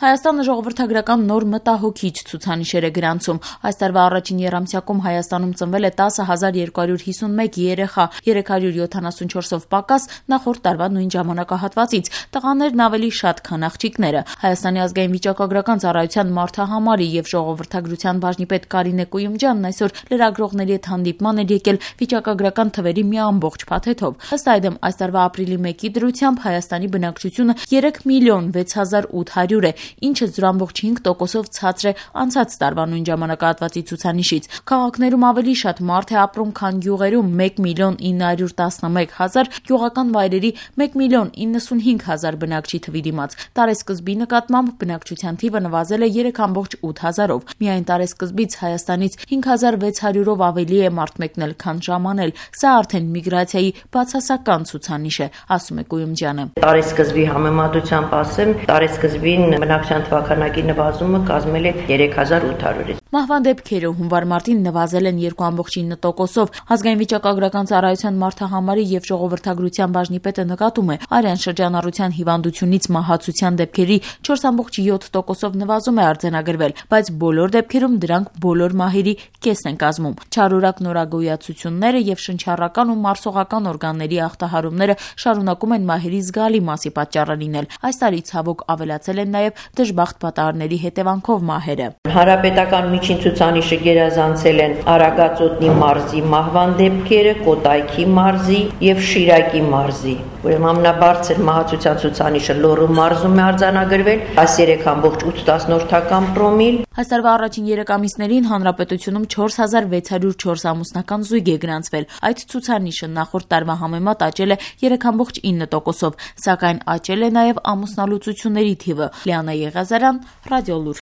Հայաստանը ժողովրդագրական նոր մտահոգիչ ցուցանիշեր է գրանցում։ Այս տարվա առաջին եռամսյակում Հայաստանում ծնվել է 10,251 երեխա, 374-ով պակաս նախորդ տարվա նույն ժամանակահատվածից։ Տղաներն ավելի շատ, քան աղջիկները։ Հայաստանի ազգային վիճակագրական ծառայության մարդահամարի եւ ժողովրդագրության բաժնի պետ Կարինե Կույումջյանն այսօր լրագրողների հետ հանդիպման էր եկել վիճակագրական թվերի մի ամբողջ փաթեթով։ Ըստ այդմ, այս տարվա ապրիլի 1-ի դրությամբ Հայաստանի բնակչությունը 3,600,800 է, ինչը 0,5%-ով ցածր է անցած տարվա նույն ժամանակահատվածի ցուցանիշից։ Քաղաքներում ավելի շատ մարդ է ապրում, քան գյուղերում՝ 1,911,000, գյուղական վայրերի 1,095,000 բնակչի թվի դիմաց։ Տարեսկզբի նկատմամբ բնակչության թիվը նվազել է 3,8%-ով։ Միայն տարեսկզբից Հայաստանից 5,600-ով ավելի է մարդ մեկնել, քան ժամանել։ Սա արդեն միգրացիայի բացասական ցուցանիշ է, ասում է Կույումջյանը։ Տարեսկզբի համեմատությամբ ասեմ, տարեսկզբին բնակչության թվաքանակի նվազումը կազմել է 3,800-ից։ Մահվան դեպքերը հունվար-մարտին նվազել են 2,9%-ով։ Ազգային վիճակագրական ծառայության մարդահամարի եւ ժողովրդագրության բաժնի պետը նկատում է, արյան շրջանառության հիվանդությունից մահացության դեպքերի 4,7%-ով նվազում է արձանագրվել, բայց բոլոր դեպքերում դրանք բոլոր մահերի կեսն են կազմում։ Չարորակ նորագոյացությունները եւ շնչառական ու մարսողական օրգանների ախտահարումները շարունակում են մահերի զգալի մասի պատճառը լինել։ Այս տարի ցավոք ավելացել են նաեւ դժբախտ պատահարների հետևանքով մահերը։ Հանրապետական միջին ցուցանիշը գերազանցել են Արագածոտնի մարզի մահվան դեպքերը, Կոտայքի մարզի եւ Շիրակի մարզի։ Ուրեմն ամենաբարձր մահացության ցուցանիշը Լոռու մարզում է արձանագրվել, 13,8 պրոմիլ։ Այս տարվա առաջին 3 ամիսներին հանրապետությունում 4,604 ամուսնական զույգ է գրանցվել։ Այդ ցուցանիշը նախորդ տարվա համեմատ աճել է 3,9%-ով, սակայն աճել է նաև ամուսնալուծությունների թիվը։ Լիանա Եղիազարյան, Ռադիոլուր։